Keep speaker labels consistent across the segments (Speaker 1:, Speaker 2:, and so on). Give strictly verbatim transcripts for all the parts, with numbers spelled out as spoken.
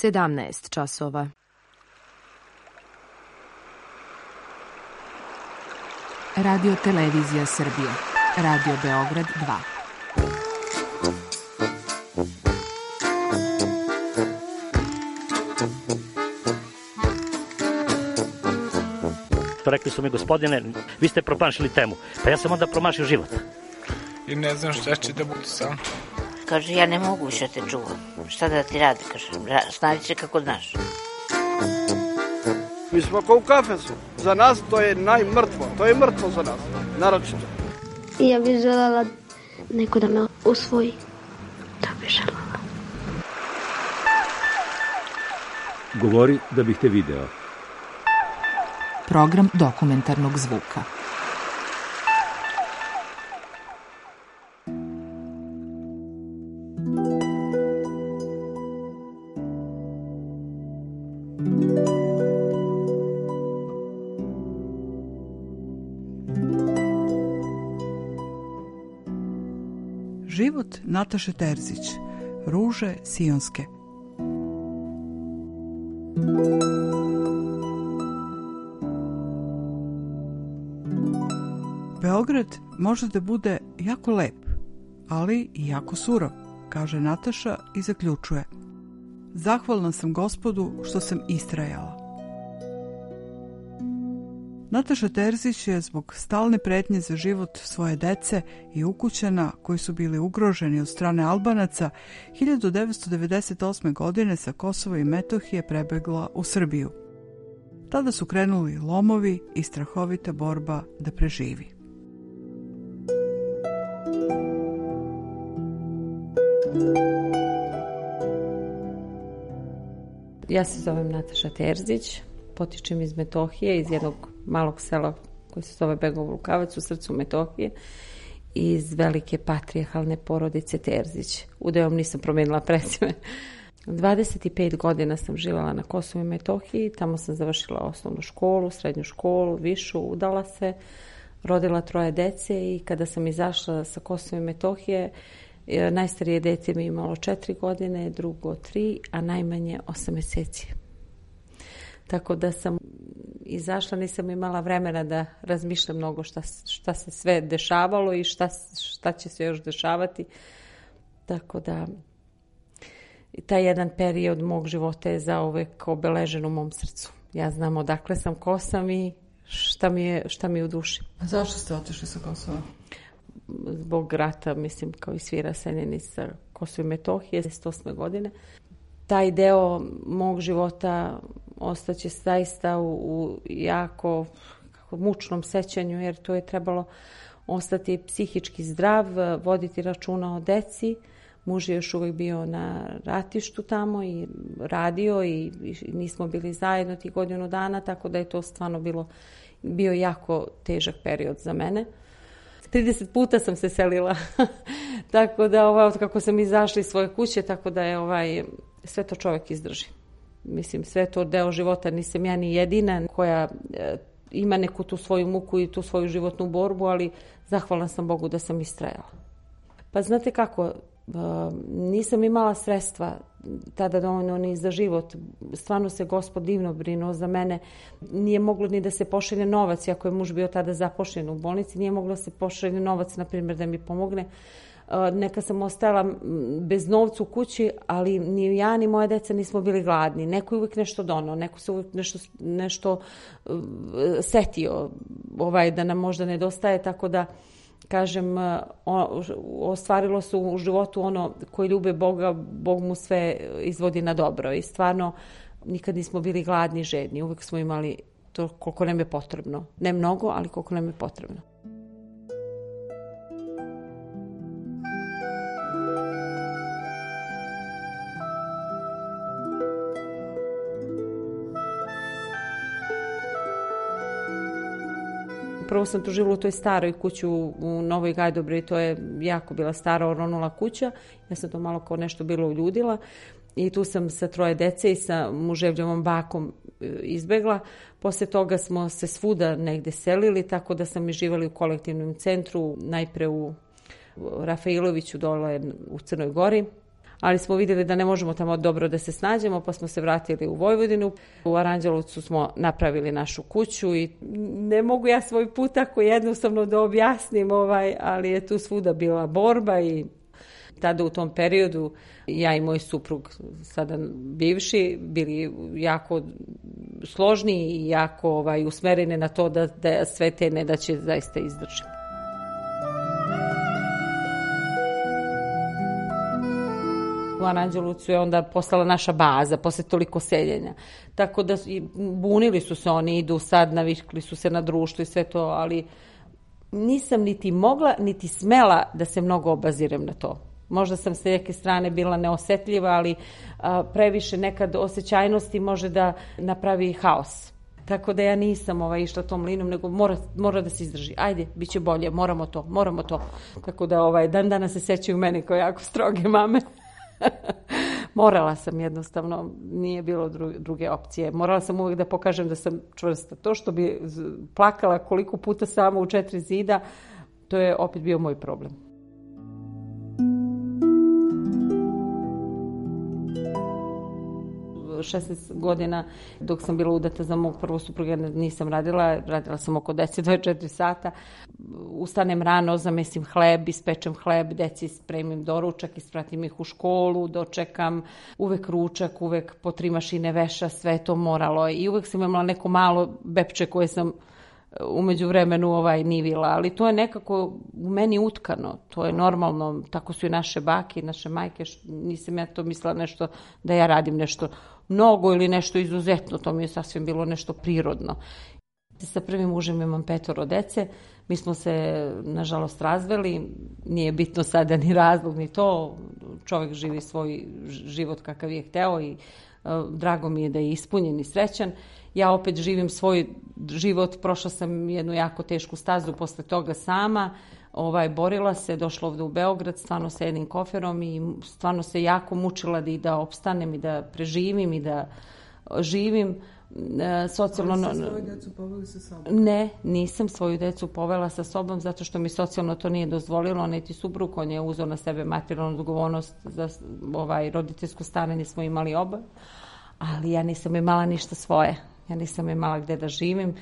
Speaker 1: sedamnaest časova.
Speaker 2: Radio Televizija Srbije. Radio Beograd dva.
Speaker 3: Rekli su mi, gospodine, vi ste promašili temu. Pa ja sam onda promašio život.
Speaker 4: I ne znam šta će da budu sam.
Speaker 5: Kaže, ja ne mogu više te čuvam. Šta da ti radi, kaže, snađi se kako znaš.
Speaker 6: Mi smo kao u kafesu. Za nas to je najmrtvo. To je mrtvo za nas. Naročito.
Speaker 7: I ja bih željela neko da me usvoji. To bih željela.
Speaker 8: Govori da bih te video.
Speaker 2: Program dokumentarnog zvuka.
Speaker 9: Život Nataše Terzić. Ruže sionske. Beograd može da bude jako lep, ali i jako surov, kaže Nataša i zaključuje. Zahvalna sam Gospodu što sam istrajala. Nataša Terzić je zbog stalne pretnje za život svoje dece i ukućana koji su bili ugroženi od strane Albanaca hiljadu devetsto devedeset osme. godine sa Kosova i Metohije prebegla u Srbiju. Tada su krenuli lomovi i strahovita borba da preživi.
Speaker 10: Ja se zovem Nataša Terzić, potičem iz Metohije, iz jednog malog sela koji se zove Begov Lukavac u srcu Metohije, iz velike patrijarhalne porodice Terzić. Udajom nisam promijenila prezime. dvadeset pet godina sam živjela na Kosovu i Metohiji, tamo sam završila osnovnu školu, srednju školu, višu, udala se, rodila troje dece i kada sam izašla sa Kosova i Metohije, najstarije dete mi je imalo četiri godine, drugo tri, a najmanje osam mjeseci. Tako da sam izašla, nisam imala vremena da razmišljam mnogo šta, šta se sve dešavalo i šta, šta će se još dešavati. Tako da taj jedan period mog života je zauvek obeležen u mom srcu. Ja znam odakle sam, ko sam i šta mi je, šta mi je u duši.
Speaker 9: A zašto ste otišli sa Kosova?
Speaker 10: Zbog rata, mislim, kao i svi raseljeni sa Kosova i Metohije, devedeset osme. godine. Taj deo mog života ostaće zaista u, u jako kako, mučnom sećanju, jer to je trebalo ostati psihički zdrav, voditi računa o deci. Muž je još uvijek bio na ratištu tamo i radio i, i nismo bili zajedno tih godinu dana, tako da je to stvarno bilo, bio jako težak period za mene. trideset puta sam se selila, tako da ovaj, od kako sam izašla iz svoje kuće, tako da je ovaj, sve to čovjek izdrži. Mislim, sve to deo života, nisam ja ni jedina koja e, ima neku tu svoju muku i tu svoju životnu borbu, ali zahvalna sam Bogu da sam istrajala. Pa znate kako, e, nisam imala sredstva tada dovoljno ni za život. Stvarno se Gospod divno brinuo za mene. Nije moglo ni da se pošalje novac, iako je muž bio tada zapošljen u bolnici, nije moglo da se pošalje novac, na primjer, da mi pomogne. Neka sam ostala bez novca u kući, ali ni ja ni moje deca nismo bili gladni. Neko je uvijek nešto donao, neko se uvijek nešto, nešto setio ovaj, da nam možda nedostaje, tako da kažem, ostvarilo se u životu ono koji ljube Boga, Bog mu sve izvodi na dobro i stvarno nikad nismo bili gladni, žedni, uvijek smo imali to koliko nam je potrebno. Ne mnogo, ali koliko nam je potrebno. Prvo sam tu živjela u toj staroj kući u Novoj Gajdobri, to je jako bila stara oronula kuća. Ja sam to malo kao nešto bilo uljudila i tu sam sa troje dece i sa muževljevom bakom izbegla. Posle toga smo se svuda negde selili, tako da sam i živjela u kolektivnom centru, najpre u Rafailoviću dole u Crnoj Gori, ali smo vidjeli da ne možemo tamo dobro da se snađemo, pa smo se vratili u Vojvodinu. U Aranđelovcu smo napravili našu kuću i ne mogu ja svoj put tako jednostavno da objasnim, ovaj, ali je tu svuda bila borba i tada u tom periodu ja i moj suprug, sada bivši, bili jako složni i jako ovaj, usmereni na to da, da sve te nedaće zaista izdržimo. U Aranđelovcu je onda postala naša baza posle toliko seljenja. Tako da bunili su se oni, idu sad, navikli su se na društvo i sve to, ali nisam niti mogla, niti smela da se mnogo obazirem na to. Možda sam s neke strane bila neosetljiva, ali a, previše nekad osjećajnosti može da napravi haos. Tako da ja nisam ovaj, išla tom linom, nego mora, mora da se izdrži. Ajde, bit će bolje, moramo to, moramo to. Tako da ovaj, dan dana se sećaju mene kao jako stroge mame. Morala sam jednostavno, nije bilo druge opcije. Morala sam uvijek da pokažem da sam čvrsta. To što bi plakala koliko puta samo u četiri zida, to je opet bio moj problem. šesnaest godina dok sam bila udata za mog prvog supruga nisam radila, radila sam oko deset do dvadeset četiri sata. Ustanem rano, zamesim hleb, ispečem hleb, deci spremim doručak, ispratim ih u školu, dočekam, uvek ručak, uvek po tri mašine veša, sve to moralo i uvek sam imala neko malo bepče koje sam umeđu vremenu ovaj nivila, ali to je nekako u meni utkano, to je normalno, tako su i naše bake i naše majke, nisam ja to mislila nešto da ja radim nešto mnogo ili nešto izuzetno, to mi je sasvim bilo nešto prirodno. Sa prvim mužem imam petoro dece, mi smo se nažalost razveli, nije bitno sada ni razlog ni to, čovjek živi svoj život kakav je hteo i uh, drago mi je da je ispunjen i srećan. Ja opet živim svoj život, prošla sam jednu jako tešku stazu posle toga sama, ovaj, borila se, došla ovde u Beograd, stvarno sa jednim koferom i stvarno se jako mučila da i da opstanem i da preživim i da živim. E, socijalno...
Speaker 9: Ali ste svoju decu poveli sa sobom?
Speaker 10: Ne, nisam svoju decu povela sa sobom zato što mi socijalno to nije dozvolilo, niti suprug, on je uzeo na sebe materijalnu odgovornost za ovaj, roditeljsko staranje smo imali oba, ali ja nisam imala ništa svoje. Ja nisam imala gde da živim,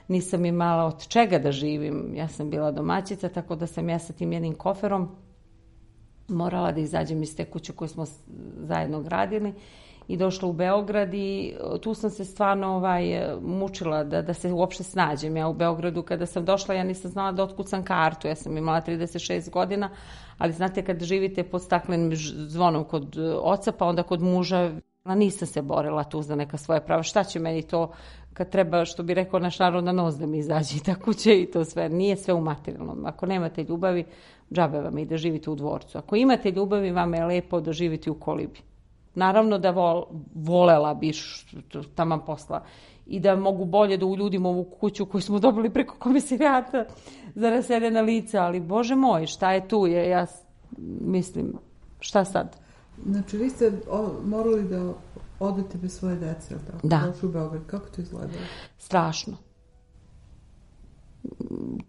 Speaker 10: nisam imala od čega da živim. Ja sam bila domaćica, tako da sam ja sa tim jednim koferom morala da izađem iz te kuće koju smo zajedno gradili i došla u Beograd i tu sam se stvarno ovaj, mučila da, da se uopšte snađem. Ja u Beogradu kada sam došla, ja nisam znala da otkucam kartu. Ja sam imala trideset šest godina, ali znate kad živite pod staklenim zvonom kod oca, pa onda kod muža, nisam se borila tu za neka svoja prava. Šta će meni to kad treba, što bi rekao naš narod, na nos da mi izađe i ta kuća i to sve. Nije sve u materijalnom. Ako nemate ljubavi, džabe vam i da živite u dvorcu. Ako imate ljubavi, vama je lepo da živite u kolibi. Naravno da vol, volela bi taman posla i da mogu bolje da uljudim ovu kuću koju smo dobili preko komisarijata za raseljena lica, ali Bože moj, šta je tu? Je, ja mislim, šta sad?
Speaker 9: Znači, vi ste o, morali da odete bez svoje dece, ili tako?
Speaker 10: Da.
Speaker 9: Došli u Beograd. Kako to izgledalo?
Speaker 10: Strašno.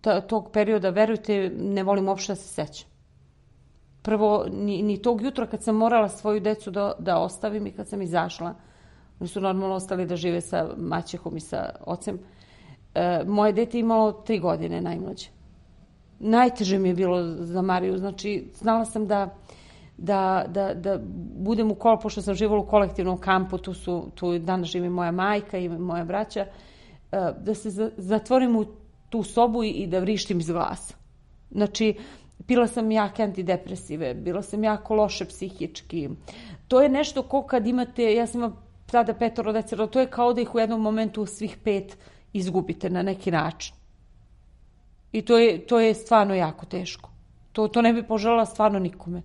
Speaker 10: Ta, tog perioda, verujte, ne volim uopšte da se sećam. Prvo, ni, ni tog jutra kad sam morala svoju decu da, da ostavim i kad sam izašla, oni su normalno ostali da žive sa maćehom i sa ocem, e, moje dete imalo tri godine najmlađe. Najteže mi je bilo za Mariju, znači znala sam da Da, da, da budem u kol, pošto sam živala u kolektivnom kampu, tu, su, tu danas živi moja majka i moja braća, da se zatvorim u tu sobu i, i da vrištim iz glasa. Znači, pila sam jake antidepresive, bila sam jako loše psihički. To je nešto ko kad imate, ja sam imala tada petoro dece, to je kao da ih u jednom momentu svih pet izgubite na neki način. I to je, to je stvarno jako teško. To, to ne bi poželjela stvarno nikome.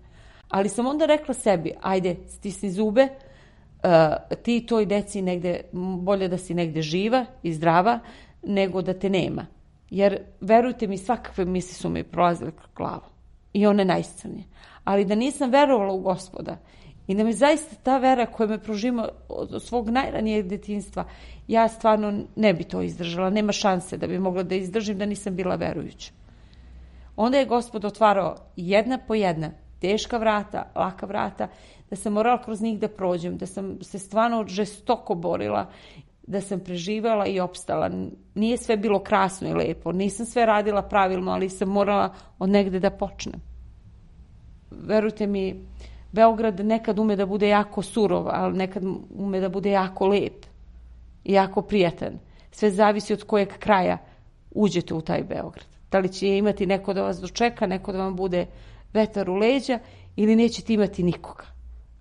Speaker 10: Ali sam onda rekla sebi, ajde, stisni zube, uh, ti toj deci negde, bolje da si negde živa i zdrava, nego da te nema. Jer, verujte mi, svakakve misli su mi prolazile kroz glavu. I one najscrnije. Ali da nisam verovala u Gospoda i da mi zaista ta vera koja me prožima od svog najranijeg detinjstva, ja stvarno ne bi to izdržala. Nema šanse da bi mogla da izdržim da nisam bila verujuća. Onda je Gospod otvarao jedna po jedna teška vrata, laka vrata, da sam morala kroz njih da prođem, da sam se stvarno žestoko borila, da sam preživjela i opstala. Nije sve bilo krasno i lepo, nisam sve radila pravilno, ali sam morala od negde da počnem. Verujte mi, Beograd nekad ume da bude jako surov, ali nekad ume da bude jako lep i jako prijatan. Sve zavisi od kojeg kraja uđete u taj Beograd. Da li će imati neko da vas dočeka, neko da vam bude vetar u leđa ili nećete imati nikoga.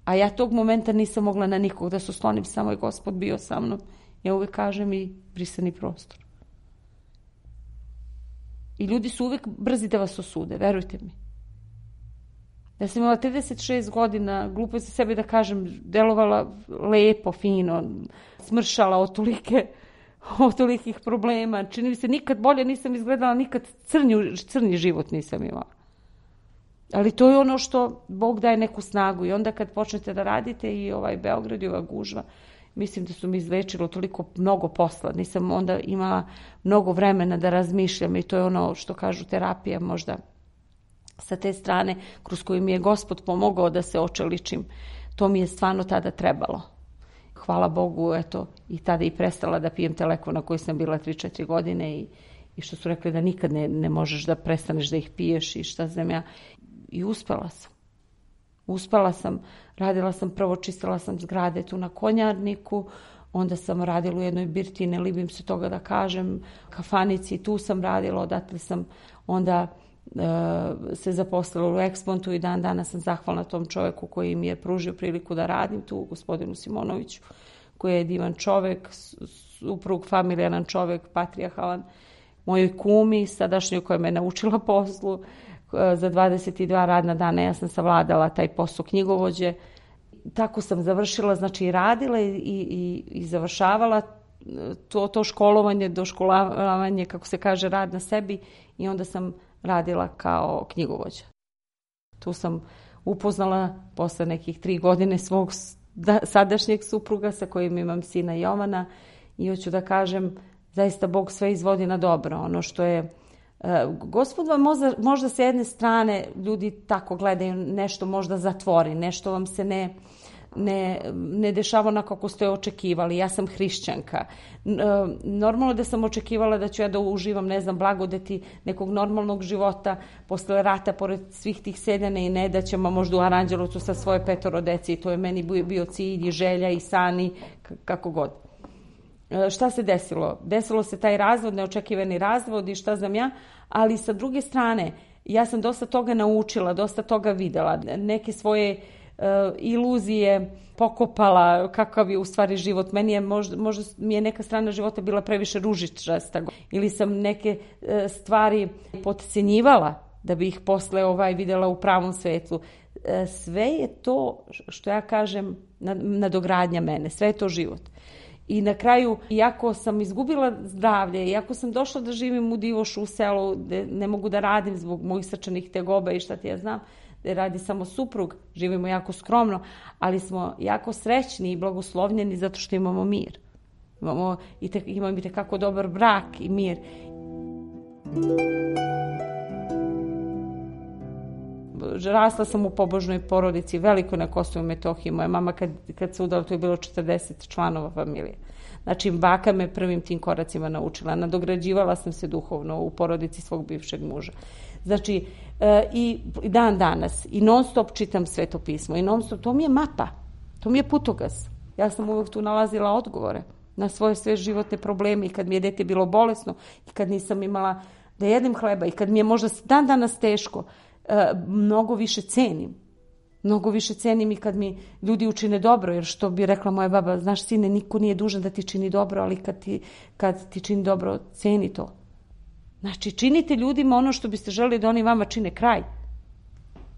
Speaker 10: A ja tog momenta nisam mogla na nikog da se oslonim, samo je Gospod bio sa mnom. Ja uvek kažem i brisani prostor. I ljudi su uvek brzi da vas osude, verujte mi. Ja sam imala trideset šest godina, glupo je za sebe da kažem, delovala lepo, fino, smršala od tolike, od tolikih problema. Čini mi se, nikad bolje nisam izgledala, nikad crnji, crnji život nisam imala. Ali to je ono što Bog daje neku snagu i onda kad počnete da radite i ovaj Beograd i ova gužva, mislim da su mi izlečilo toliko mnogo posla. Nisam onda imala mnogo vremena da razmišljam i to je ono što kažu terapija možda sa te strane kroz koju mi je Gospod pomogao da se očeličim. To mi je stvarno tada trebalo. Hvala Bogu, eto, i tada i prestala da pijem te lekove na koji sam bila tri četiri godine i, i što su rekli da nikad ne, ne možeš da prestaneš da ih piješ i šta znam ja. I uspela sam. Uspela sam, radila sam, prvo čistila sam zgrade tu na Konjarniku, onda sam radila u jednoj birti, ne libim se toga da kažem, kafanici, tu sam radila, odatle sam onda e, se zaposlila u Expontu i dan danas sam zahvalna tom čoveku koji mi je pružio priliku da radim tu, gospodinu Simonoviću, koji je divan čovek, suprug, familijaran čovek, patrijarhalan, mojoj kumi, sadašnjoj koja me naučila poslu. Za dvadeset dva radna dana ja sam savladala taj posao knjigovođe. Tako sam završila, znači radila i, i, i završavala to, to školovanje, doškolavanje, kako se kaže, rad na sebi i onda sam radila kao knjigovođa. Tu sam upoznala posle nekih tri godine svog sadašnjeg supruga sa kojim imam sina Jovana i hoću da kažem, zaista Bog sve izvodi na dobro. Ono što je Gospod vam možda, možda s jedne strane ljudi tako gledaju, nešto možda zatvori, nešto vam se ne, ne, ne dešava onako kako ste očekivali. Ja sam hrišćanka. Normalno da sam očekivala da ću ja da uživam, ne znam, blagodeti nekog normalnog života posle rata, pored svih tih sedene i nedaćama, možda u Aranđelovcu sa svoje petoro deci. To je meni bio cilj i želja i sani, kako god. Šta se desilo? Desilo se taj razvod, neočekivani razvod i šta znam ja, ali sa druge strane, ja sam dosta toga naučila, dosta toga videla, neke svoje uh, iluzije pokopala, kakav je u stvari život. Meni je, možda, možda mi je neka strana života bila previše ružičasta ili sam neke uh, stvari potcenjivala da bi ih posle ovaj videla u pravom svetlu. Uh, sve je to, što ja kažem, nadogradnja mene, sve je to život. I na kraju, iako sam izgubila zdravlje, iako sam došla da živim u Divošu u selu, gde ne mogu da radim zbog mojih srčanih tegoba i šta ti ja znam, gde radi samo suprug, živimo jako skromno, ali smo jako srećni i blagoslovljeni zato što imamo mir. Imamo i te, imamo i tekako dobar brak i mir. Rasla sam u pobožnoj porodici, veliko na Kosovu i Metohiji. Moja mama kad, kad se udala, to je bilo četrdeset članova familije. Znači, baka me prvim tim koracima naučila. Nadograđivala sam se duhovno u porodici svog bivšeg muža. Znači, e, i dan danas, i non stop čitam Sveto pismo, i non stop, to mi je mapa, to mi je putokaz. Ja sam uvijek tu nalazila odgovore na svoje sve životne probleme i kad mi je dete bilo bolesno, i kad nisam imala da jedem hleba, i kad mi je možda dan danas teško, mnogo više cenim. Mnogo više cenim i kad mi ljudi učine dobro, jer što bi rekla moja baba, znaš sine, niko nije dužan da ti čini dobro, ali kad ti, kad ti čini dobro, ceni to. Znači, činite ljudima ono što biste želeli da oni vama čine, kraj.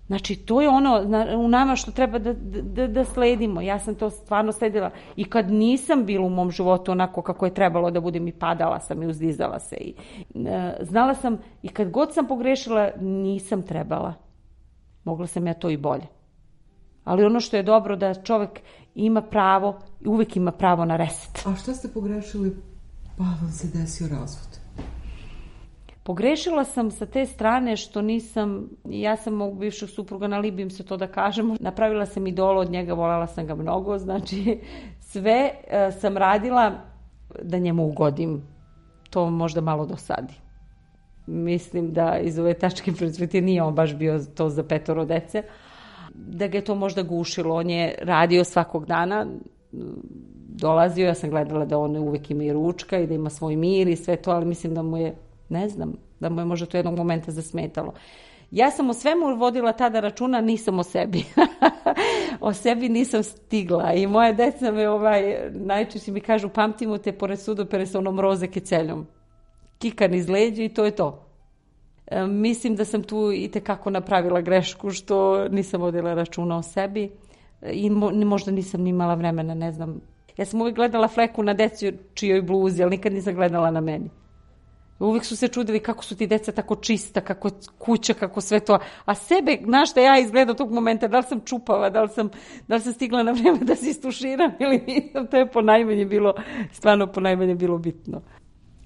Speaker 10: Znači, to je ono u nama što treba da, da, da sledimo. Ja sam to stvarno sledila. I kad nisam bila u mom životu onako kako je trebalo da budem, i padala sam i uzdizala se. I, e, znala sam, i kad god sam pogrešila, nisam trebala. Mogla sam ja to i bolje. Ali ono što je dobro, da čovjek ima pravo, i uvijek ima pravo na reset.
Speaker 9: A šta ste pogrešili pa vam se desio razvod?
Speaker 10: Pogrešila sam sa te strane što nisam, ja sam mog bivšeg supruga, nalibim se to da kažemo, napravila sam idolo od njega, voljela sam ga mnogo, znači sve uh, sam radila da njemu ugodim. To možda malo dosadi. Mislim da iz ove tačke perspektive nije on baš bio to za petoro dece, da ga je to možda gušilo. On je radio svakog dana, dolazio, ja sam gledala da on uvek ima i ručka i da ima svoj mir i sve to, ali mislim da mu je, ne znam, da mu je možda to jednog momenta zasmetalo. Ja sam o svemu vodila tada računa, nisam o sebi. O sebi nisam stigla i moje deca me ovaj, najčešće mi kažu, pamtimo te pored sudopere sa onom roze kećeljom. Kikan iz leđa i to je to. E, mislim da sam tu i tekako napravila grešku što nisam vodila računa o sebi i mo, možda nisam ni imala vremena, ne znam. Ja sam uvijek gledala fleku na deci čijoj bluzi, ali nikad nisam gledala na meni. Uvijek su se čudili kako su ti deca tako čista, kako kuća, kako sve to. A sebe, znaš šta ja izgledam tog momenta, da li sam čupava, da li sam, da li sam stigla na vreme da se istuširam ili nisam, to je po najmanje bilo, stvarno po najmanje bilo bitno.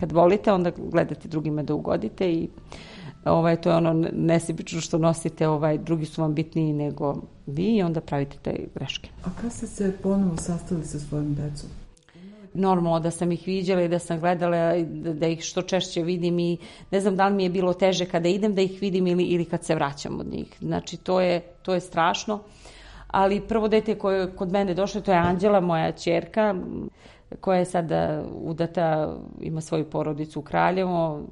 Speaker 10: Kad volite, onda gledate drugima da ugodite i ovaj, to je ono nesebično što nosite, ovaj, drugi su vam bitniji nego vi i onda pravite te greške.
Speaker 9: A kada ste se ponovo sastali sa svojim decom?
Speaker 10: Normalno da sam ih viđala i da sam gledala, da, da ih što češće vidim i ne znam da li mi je bilo teže kada idem da ih vidim ili, ili kad se vraćam od njih. Znači to je, to je strašno. Ali prvo dete koje je kod mene došlo, to je Anđela, moja ćerka, koja je sada udata, ima svoju porodicu u Kraljevo.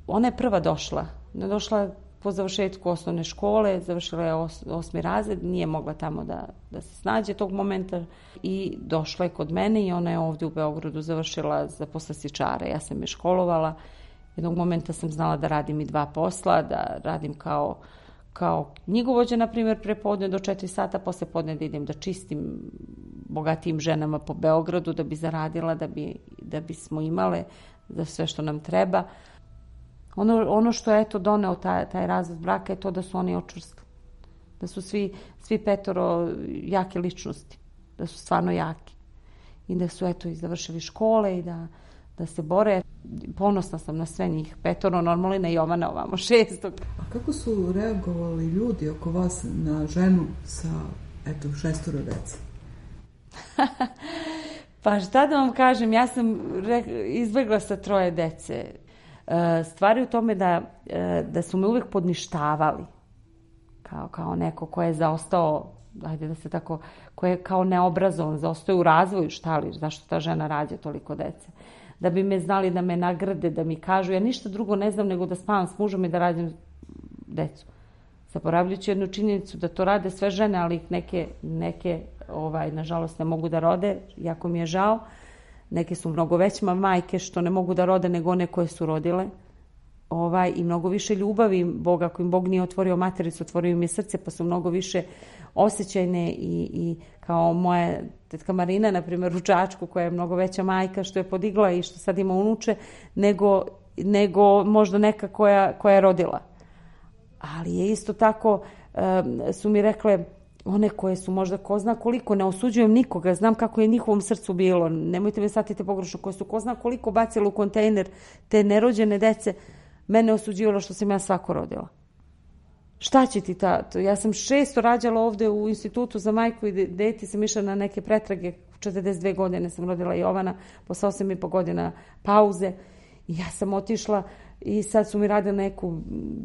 Speaker 10: Ona je prva došla. Ona je došla po završetku osnovne škole, završila je os, osmi razred, nije mogla tamo da, da se snađe tog momenta i došla je kod mene i ona je ovdje u Beogradu završila za poslastičara. Ja sam je školovala. Jednog momenta sam znala da radim i dva posla, da radim kao, kao knjigovođa, na primjer, prepodne do četiri sata, posle podne da idem da čistim bogatijim ženama po Beogradu, da bi zaradila, da bi, da bismo imale za sve što nam treba. Ono, ono što je eto doneo taj, taj razvod braka je to da su oni očvrstili. Da su svi, svi petoro jake ličnosti. Da su stvarno jaki. I da su eto i završili škole i da, da se bore. Ponosna sam na sve njih. Petoro, normalno i na Jovana ovamo šestog.
Speaker 9: A kako su reagovali ljudi oko vas na ženu sa eto šestoro dece?
Speaker 10: Pa šta da vam kažem, ja sam izbjegla sa troje dece. Stvari u tome da, da su me uvijek podništavali kao, kao neko ko je zaostao, ajde da se tako, ko je kao neobrazovan, zaostao u razvoju, šta li, zašto ta žena rađa toliko dece. Da bi me znali da me nagrade, da mi kažu, ja ništa drugo ne znam nego da spavam s mužom i da rađam decu. Zaboravljajući jednu činjenicu da to rade sve žene, ali ih neke, neke ovaj, nažalost ne mogu da rode, jako mi je žao. Neke su mnogo većima majke što ne mogu da rode nego one koje su rodile. Ovaj, I mnogo više ljubavi Boga, ako im Bog nije otvorio matericu, otvorio im je srce, pa su mnogo više osjećajne i, i kao moja tetka Marina, na primjer, u Čačku, koja je mnogo veća majka, što je podigla i što sad ima unuče, nego, nego možda neka koja, koja je rodila. Ali je isto tako, um, su mi rekle, one koje su možda ko zna koliko, ne osuđujem nikoga, znam kako je njihovom srcu bilo, nemojte me shvatite pogrešno, koje su ko zna koliko bacile u kontejner te nerođene dece, mene osuđivalo što sam ja svako rodila. Šta će ti ta? Ja sam šesto rađala ovdje u institutu za majku i deti, sam išla na neke pretrage, četrdeset dve godine sam rodila Jovana, posle osam i po godina pauze i ja sam otišla i sad su mi radili neku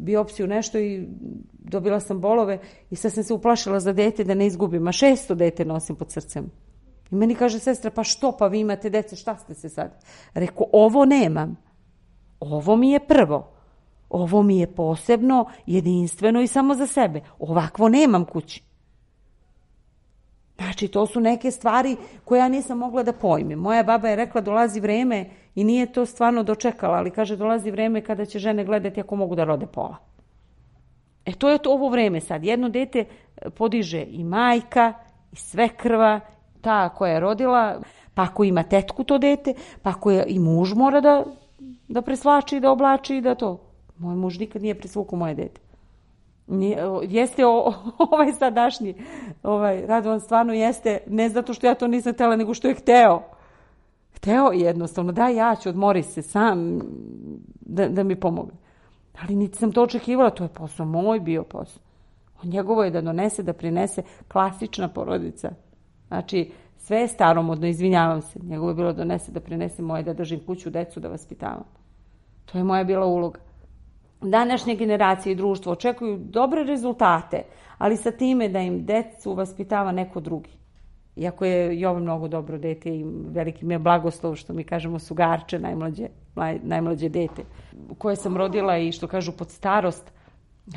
Speaker 10: biopsiju, nešto i dobila sam bolove i sad sam se uplašila za dete da ne izgubim, a šesto dete nosim pod srcem. I meni kaže sestra, pa što, pa vi imate dece, šta ste se sad? Reku, ovo nemam. Ovo mi je prvo. Ovo mi je posebno, jedinstveno i samo za sebe. Ovakvo nemam kući. Znači, to su neke stvari koje ja nisam mogla da pojmim. Moja baba je rekla, dolazi vreme i nije to stvarno dočekala, ali kaže, dolazi vreme kada će žene gledati ako mogu da rode pola. E, to je to ovo vreme sad. Jedno dete podiže i majka, i svekrva, ta koja je rodila, pa ako ima tetku to dete, pa ako je i muž mora da, da preslači, da oblači i da to. Moj muž nikad nije presvukao moje dete. Nije, jeste o, ovaj sadašnji ovaj, Radovan stvarno jeste, ne zato što ja to nisam htjela, nego što je hteo. Hteo jednostavno, da ja ću, odmori se sam da, da mi pomogne. Ali niti sam to očekivala, to je posao moj bio posao. Njegovo je da donese, da prinese, klasična porodica. Znači, sve je staromodno, izvinjavam se. Njegovo je bilo da donese, da prinese, moje da držim kuću, decu, da vaspitavam. To je moja bila uloga. Današnje generacije i društvo očekuju dobre rezultate, ali sa time da im decu vaspitava neko drugi. Iako je Jovan mnogo dobro dete i veliki mi je blagoslov, što mi kažemo sugarče, najmlađe, najmlađe dete, koje sam rodila i što kažu pod starost,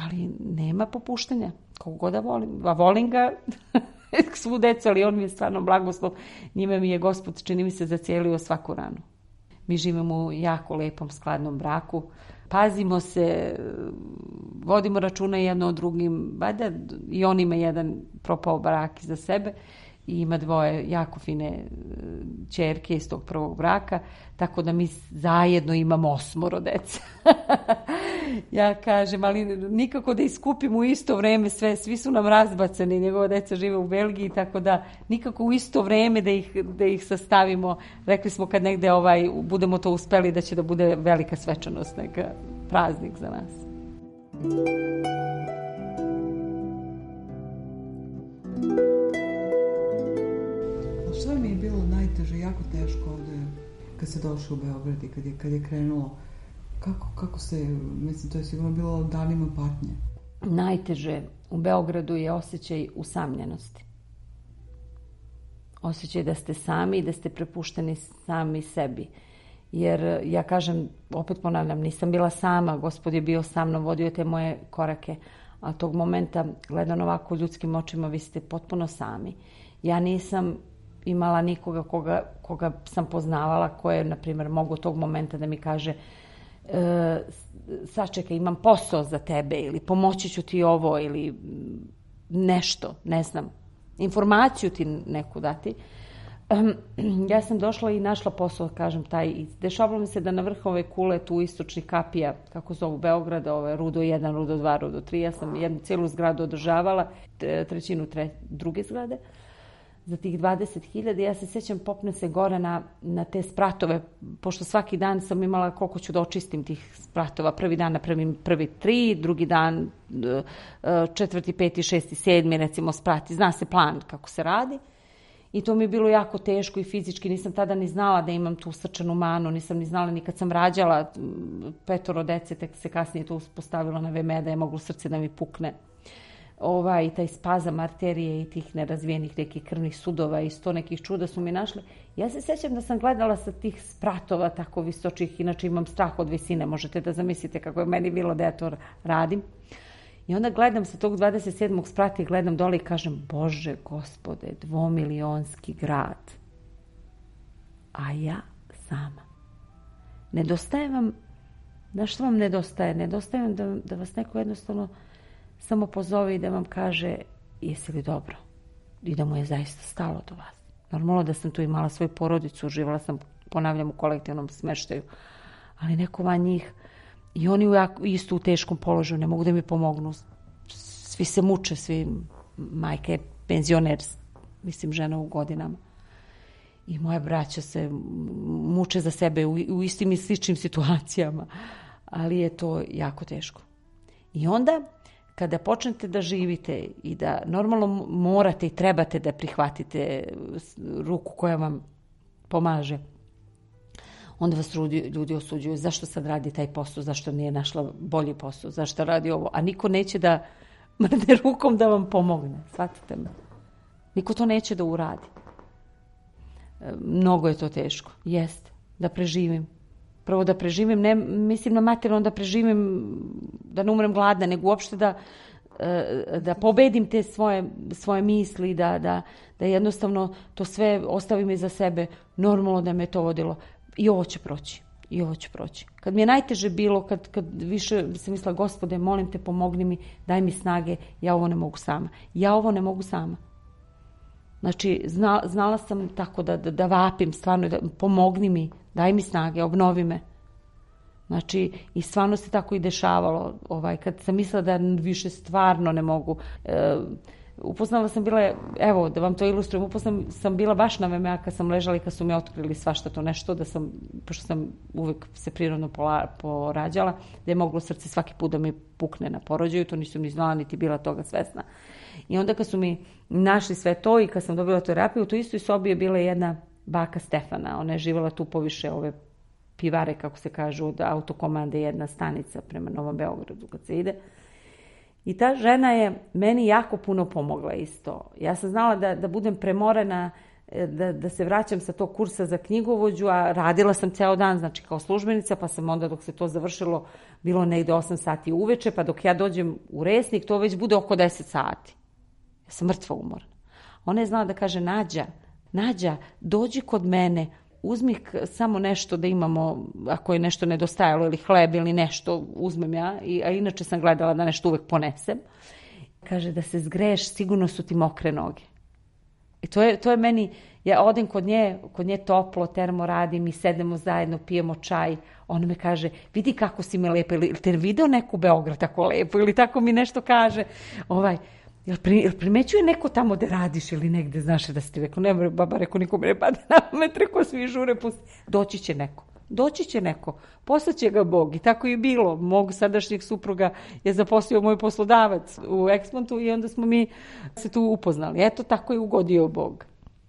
Speaker 10: ali nema popuštanja. Koliko god da volim, a volim ga svu decu, ali on mi je stvarno blagoslov. Njime mi je Gospod, čini mi se, zacijelio svaku ranu. Mi živimo u jako lepom, skladnom braku. Pazimo se, vodimo računa jedno o drugim. Valjda i on ima jedan propao brak iza sebe i ima dvoje jako fine ćerke iz tog prvog braka, tako da mi zajedno imamo osmoro dece. Ja kažem, ali nikako da iskupimo u isto vreme sve, svi su nam razbacani, njegova deca žive u Belgiji, tako da nikako u isto vreme da ih, da ih sastavimo. Rekli smo kad negde ovaj, budemo to uspeli da će da bude velika svečanost, neka praznik za nas.
Speaker 9: Što mi je bilo najteže, jako teško ovde kad se došlo u Beograd i kad je, kad je krenulo? Kako, kako se, mislim, to je sigurno bilo danima patnje.
Speaker 10: Najteže u Beogradu je osjećaj usamljenosti. Osjećaj da ste sami i da ste prepušteni sami sebi. Jer ja kažem, opet ponavljam, nisam bila sama, Gospod je bio sa mnom, vodio te moje korake, a tog momenta, gledano ovako ljudskim očima, vi ste potpuno sami. Ja nisam imala nikoga koga, koga sam poznavala, ko je, na primjer, mogu tog momenta da mi kaže e, sačekaj, imam posao za tebe ili pomoći ću ti ovo ili nešto, ne znam, informaciju ti neku dati. Ja sam došla i našla posao, kažem, taj. Dešavalo mi se da na vrh ove kule, tu istočnih kapija, kako zovu Beograda, ove Rudo jedan, Rudo dva, Rudo tri, ja sam jednu cijelu zgradu održavala, trećinu tre, druge zgrade, za tih dvadeset hiljada. Ja se sjećam, popne se gore na, na te spratove, pošto svaki dan sam imala koliko ću da očistim tih spratova. Prvi dan napravim prvi tri, drugi dan četvrti, peti, šesti, sedmi, recimo sprati. Zna se plan kako se radi. I to mi je bilo jako teško i fizički. Nisam tada ni znala da imam tu srčanu manu, nisam ni znala ni kad sam rađala petoro dece, tek se kasnije to uspostavilo na ve em e da je moglo srce da mi pukne. Ovaj, taj spazam arterije i tih nerazvijenih nekih krvnih sudova i sto nekih čuda su mi našle. Ja se sjećam da sam gledala sa tih spratova tako visočih, inače imam strah od visine, možete da zamislite kako je meni bilo da ja to radim. I onda gledam sa tog dvadeset sedmog sprata i gledam dole i kažem, Bože Gospode, dvomilionski grad, a ja sama. Nedostaje vam, znaš što vam nedostaje? Nedostaje vam da, da vas neko jednostavno samo pozove i da vam kaže, jesi li dobro? I da mu je zaista stalo do vas. Normalno da sam tu imala svoju porodicu, uživala sam, ponavljam, u kolektivnom smeštaju, ali neko van njih, i oni u jako, isto u teškom položaju, ne mogu da mi pomognu. Svi se muče, svi, majka je penzioner, mislim, žena u godinama. I moja braća se muče za sebe u, u istim i sličnim situacijama, ali je to jako teško. I onda, kada počnete da živite i da normalno morate i trebate da prihvatite ruku koja vam pomaže, onda vas ljudi osuđuju. Zašto sad radi taj posao? Zašto nije našla bolji posao? Zašto radi ovo? A niko neće da mrne rukom da vam pomogne. Shvatite me. Niko to neće da uradi. Mnogo je to teško. Jeste. Da preživim. Prvo da preživim, ne mislim na materijalno da preživim, da ne umrem gladna, nego uopšte da, da pobedim te svoje, svoje misli, da, da, da jednostavno to sve ostavim iza sebe. Normalno da me to vodilo. I ovo će proći. I ovo će proći. Kad mi je najteže bilo, kad, kad više sam mislila, Gospode, molim te, pomogni mi, daj mi snage, ja ovo ne mogu sama. Ja ovo ne mogu sama. Znači, zna, znala sam tako da, da, da vapim, stvarno, da, pomogni mi, daj mi snage, obnovi me. Znači, i stvarno se tako i dešavalo. Ovaj, kad sam mislila da više stvarno ne mogu, e, Upoznala sam bila, evo da vam to ilustrujem, upoznala sam bila baš na V M A kad sam ležala i kad su mi otkrili svašta to nešto, da sam, pošto sam uvek se prirodno pola, porađala, da je moglo srce svaki put da mi pukne na porođaju, to nisam ni znala, niti bila toga svesna. I onda kad su mi našli sve to i kad sam dobila terapiju, u toj istoj sobi je bila jedna baka Stefana, ona je živjela tu poviše ove pivare, kako se kažu, od autokomande, jedna stanica prema Novom Beogradu kad se ide. I ta žena je meni jako puno pomogla isto. Ja sam znala da, da budem premorena, da, da se vraćam sa tog kursa za knjigovođu, a radila sam ceo dan, znači kao službenica, pa sam onda dok se to završilo, bilo negde osam sati uveče, pa dok ja dođem u Resnik, to već bude oko deset sati. Ja sam mrtva umorna. Ona je znala da kaže, Nađa, Nađa, dođi kod mene, uzmi samo nešto da imamo, ako je nešto nedostajalo, ili hleb ili nešto, uzmem ja, a inače sam gledala da nešto uvek ponesem. Kaže, da se zgreješ, sigurno su ti mokre noge. I to je, to je meni, ja odem kod nje, kod nje toplo, termo radim i sedemo zajedno, pijemo čaj. Ona me kaže, vidi kako si me lepa, ili te video neku Beograd tako lepo, ili tako mi nešto kaže, ovaj, Jel, pri, jel primećuje neko tamo da radiš ili negde, znaš da si ti rekao, ne, baba rekao, nikom ne pada na met, rekao, svi žure, pusti. Doći će neko, doći će neko, poslaće ga Bog. I tako je bilo. Mog sadašnjeg supruga je zaposlio moj poslodavac u Eksmontu i onda smo mi se tu upoznali. Eto, tako je ugodio Bog.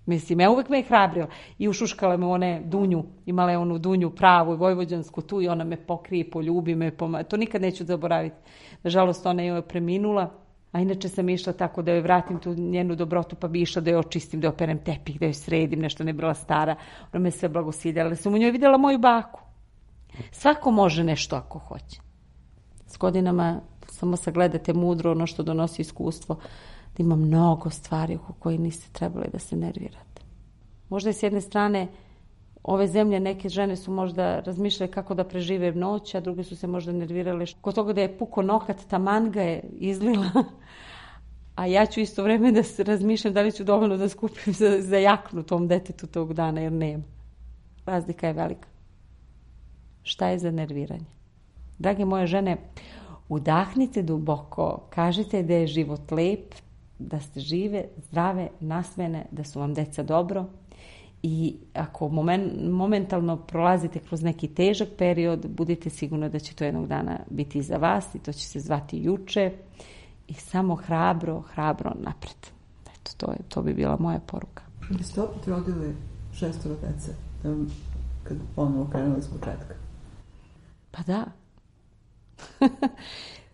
Speaker 10: Mislim, ja uvek me je hrabrila i ušuškala me one dunju, imala je onu dunju pravu i vojvođansku tu i ona me pokrije, poljubi me, poma... to nikad neću zaboraviti. Nažalost, ona je preminula. A inače sam išla tako da joj vratim tu njenu dobrotu, pa bi išla da joj očistim, da joj operem tepih, da joj sredim, nešto ne bila stara. Ona me sve blagosiljala, ali sam u njoj vidjela moju baku. Svako može nešto ako hoće. S godinama samo sagledate mudro ono što donosi iskustvo, da ima mnogo stvari oko koje niste trebali da se nervirate. Možda je s jedne strane ove zemlje, neke žene su možda razmišljale kako da prežive noć, a druge su se možda nervirale. Kod toga da je puko nokat, taman ga je izlila. A ja ću isto vreme da se razmišljam da li ću dovoljno da skupim za, za jaknu tom detetu tog dana, jer nema. Razlika je velika. Šta je za nerviranje? Drage moje žene, udahnite duboko, kažite da je život lep, da ste žive, zdrave, nasmene, da su vam deca dobro. I ako moment, momentalno prolazite kroz neki težak period, budite sigurni da će to jednog dana biti iza vas i to će se zvati juče i samo hrabro, hrabro napred. Eto, to, je, to bi bila moja poruka.
Speaker 9: Vi ste opet rodili šestoro dece, kad ponovo krenuli s početka?
Speaker 10: Pa da.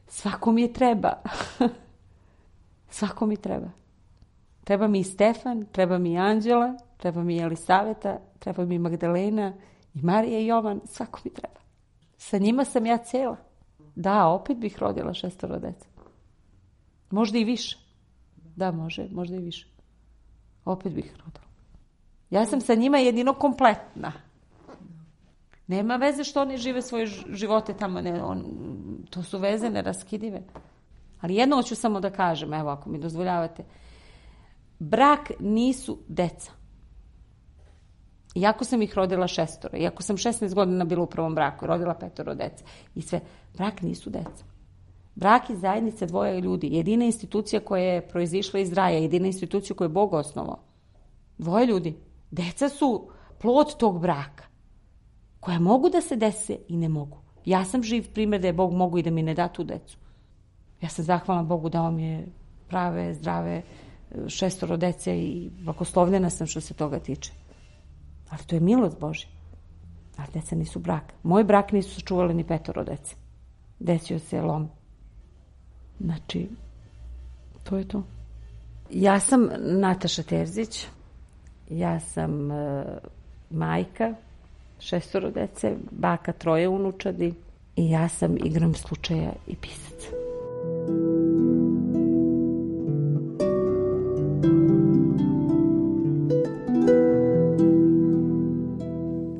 Speaker 10: Svako mi je treba. Svako mi treba. Treba mi i Stefan, treba mi i Anđela, treba mi i Elisaveta, treba mi i Magdalena, i Marija i Jovan, svako mi treba. Sa njima sam ja cela. Da, opet bih rodila šestoro dece. Možda i više. Da, može, možda i više. Opet bih rodila. Ja sam sa njima jedino kompletna. Nema veze što oni žive svoje živote tamo. Ne, on, to su veze neraskidive. Ali jedno hoću samo da kažem, evo ako mi dozvoljavate. Brak nisu deca. Iako sam ih rodila šestoro, iako sam šesnaest godina bila u prvom braku, rodila petoro dece i sve, brak nisu deca. Brak je zajednica dvoje ljudi, jedina institucija koja je proizišla iz raja, jedina institucija koju je Bog osnovao. Dvoje ljudi. Deca su plod tog braka, koja mogu da se dese i ne mogu. Ja sam živ primjer da je Bog mogu i da mi ne da tu decu. Ja sam zahvalna Bogu dao mi je prave, zdrave šestoro dece i blagoslovljena sam što se toga tiče. Ali to je milost Božja. A deca nisu brak. Moj brak nisu sačuvali ni petoro dece. Desio se lom. Znači, to je to. Ja sam Nataša Terzić. Ja sam uh, majka šestoro dece, baka troje unučadi i ja sam igrom slučaja i pisac.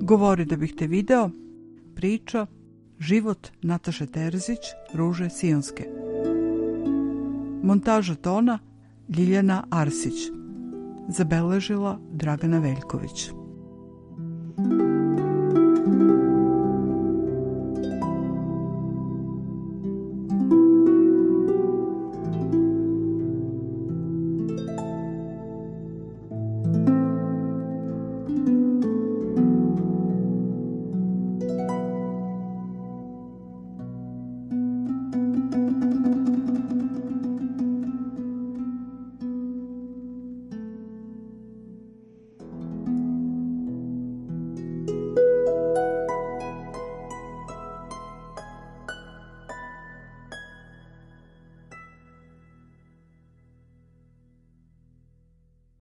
Speaker 9: Govori da bih te video, priča, život Nataše Terzić, Ruže Sionske. Montaža tona Ljiljana Arsić. Zabeležila Dragana Veljković.